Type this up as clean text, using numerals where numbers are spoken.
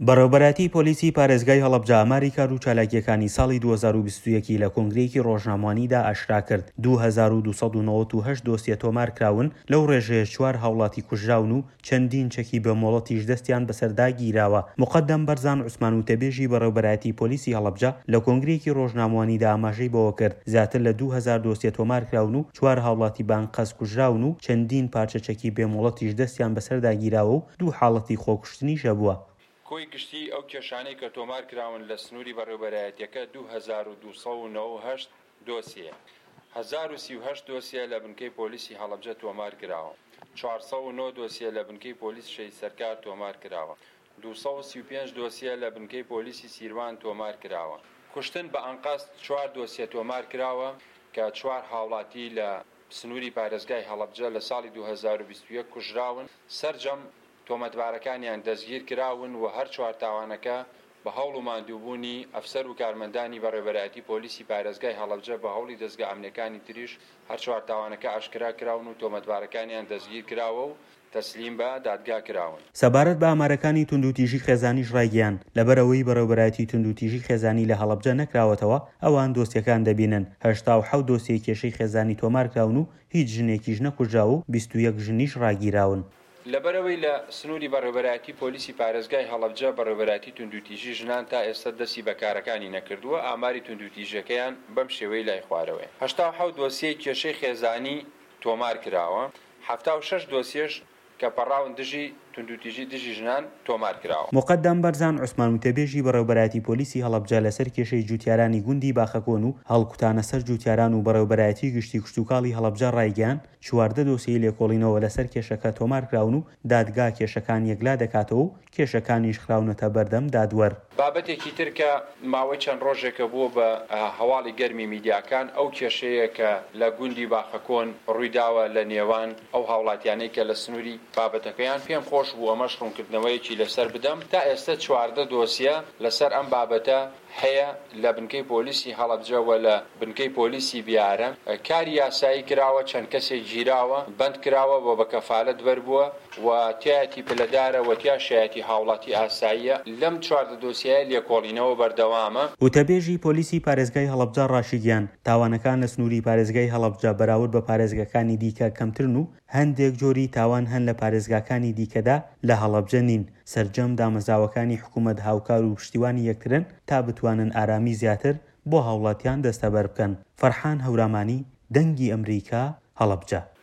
بەڕێوەبەرایەتی پۆلیسی پارێزگای هەڵەبجە ئاماری کار و چالاکییەکانی ساڵی 2021 ی لە کۆنگرەیەکی ڕۆژنامەوانیدا ئاشکرا کرد، 2298 دۆسیە تۆمارکراون، لەو ڕێژەیەش چوار هاوڵاتی کوژراون و چەندین چەکی بێ مۆڵەتیش دەستیان بەسەردا گیراوە. موقەدەم بەرزان عوسمان وتەبێژی بەڕێوەبەرایەتی پۆلیسی هەڵەبجە لە کۆنگرەیەکی ڕۆژنامەوانیدا ئاماژەی بەوەکرد، زیاتر لە 2000 دۆسیە تۆمارکراون و چوار هاوڵاتی بە ئەنقەست کوژراون و چەندین پارچە چەکی بێ مۆڵەتیش دەستیان بەسەردا گیراوە و دوو حاڵەتی خۆکوشتنیش هەبووە. کۆی گشتیی ئەو کێشانەی کە تۆمارکراون لە سنووری بەڕێوەبەرایەتییەکە 2298 دۆسیەیە، 1038 دۆسیە لە بنکەی پۆلیسی هەڵەبجە تۆمارکراوە، 409 دۆسیە لە بنکەی پۆلیس شەهید سەرکار تۆمارکراوە، 235 دۆسیە لە بنکەی پۆلیسی سیروان تۆمارکراوە. کوشتن بە ئەنقەست چوار دۆسیە تۆمارکراوە کە چوار هاوڵاتی لە سنووری پارێزگای هەڵەبجە لە ساڵی 2021 کوژراون، سەرجەم تۆمەتبارەکانیان دەستگیرکراون و هەر چوار تاوانەکە بە هەوڵ و ماندووبوونی ئەفسەر و کارمەندانی بەڕێوەبەرایەتی پۆلیسی پارێزگای هەڵەبجە بە هەوڵی دەزگا ئەمنیەکانی تریش هەر چوار تاوانەکە ئاشکرا کراون و تۆمەتبارەکانیان دەستگیرکراوە و تەسلیم بە دادگا کراون. سەبارەت بە ئامارەکانی توندوتیژی خێزانیش ڕایگەیاند، لەبەرئەوەی بەڕێوەبەرایەتی توندوتیژی خێزانی لە هەڵەبجە نەکراوەتەوە، ئەوان دۆسیەکان دەبینن، 87 دۆسیەی کێشەی خێزانی تۆمارکراون و هیچ ژنێکیش نەکوژراوە و 21 ژنیش ڕاگیراون. لەبەرئەوەی لە سنووری بەڕێوەبەرایەتی پۆلیسی پارێزگای هەڵەبجە بەڕێوەبەرایەتی توندوتیژی ژنان تا ئێستا دەستی بە کارەکانی نەکردووە، ئاماری توندوتیژیەکەیان بەم شێوەی لای خوارەوەیە، 87 دۆسیەی کێشەی خێزانی تۆمار کراوە، 76 دۆسیەش کە پەڕاون دژی توندوتیژی دژی ژنان تۆمار کراوە. موقەدەم بەرزان عوسمان وتەبێژی بەڕێوەبەرایەتی پۆلیسی هەڵەبجە لەسەر کێشەی جوتیارانی گوندی باخەکۆن و هەڵکوتانە سەر جوتیاران و بەڕێوەبەرایەتی گشتی کشتوکاڵی هەڵەبجە ڕایگەیاند، 14 دۆسیەی لێکۆڵینەوە لەسەر کێشەکە تۆمارکراون و دادگا کێشەکان یەکلا دەکاتەوە و کێشەکانیش خراونەتە بەردەم دادوەر. بابەتێکی تر کە ماوەی چەند ڕۆژێکە بووە بە هەواڵی گەرمی میدیاکان، ئەو کێشەیە کە لە گوندی باخەکۆن ڕوویداوە لە نێوان ئەو هاوڵاتیانەی کە لە سنووری بابەتەکەیان، پێم خۆش بوو ئەمەش ڕوونکردنەوەیەکی لەسەر بدەم، تا ئێستە 14 دۆسیە لەسەر ئەم بابەتە هەیە لە بنکەی پۆلیسی هەڵەبجە و لە بنکەی پۆلیسی بیارە کاری یاسایی کراوە، چەند کەسێک گیراوە، بەند کراوە و بە کەفالەت بەربووە و تیایەتی پلەدارە و تیاشایەتی هاوڵاتی ئاساییە، لەم 14 دۆسیەیە لێکۆڵینەوە بەردەوامە. وتەبێژی پۆلیسی پارێزگای هەڵەبجە ڕاشیگەیاند، تاوانەکان لە سنووری پارێزگای هەڵەبجە بەراورد بە پارێزگاکانی دیکە کەمترن و هەندێک جۆری تاوان هەن لە پارێزگاکانی دیکەدا لە هەڵەبجە نین، سەرجەم دامەزراوەکانی حکومەت هاوکار و پشتیوانی یەکترن تا بتوانن ئارامی زیاتر بۆ هاوڵاتیان دەستەبەر بکەن. فەرحان هەورامانی، دەنگی ئەمریکا، هەڵەبجە.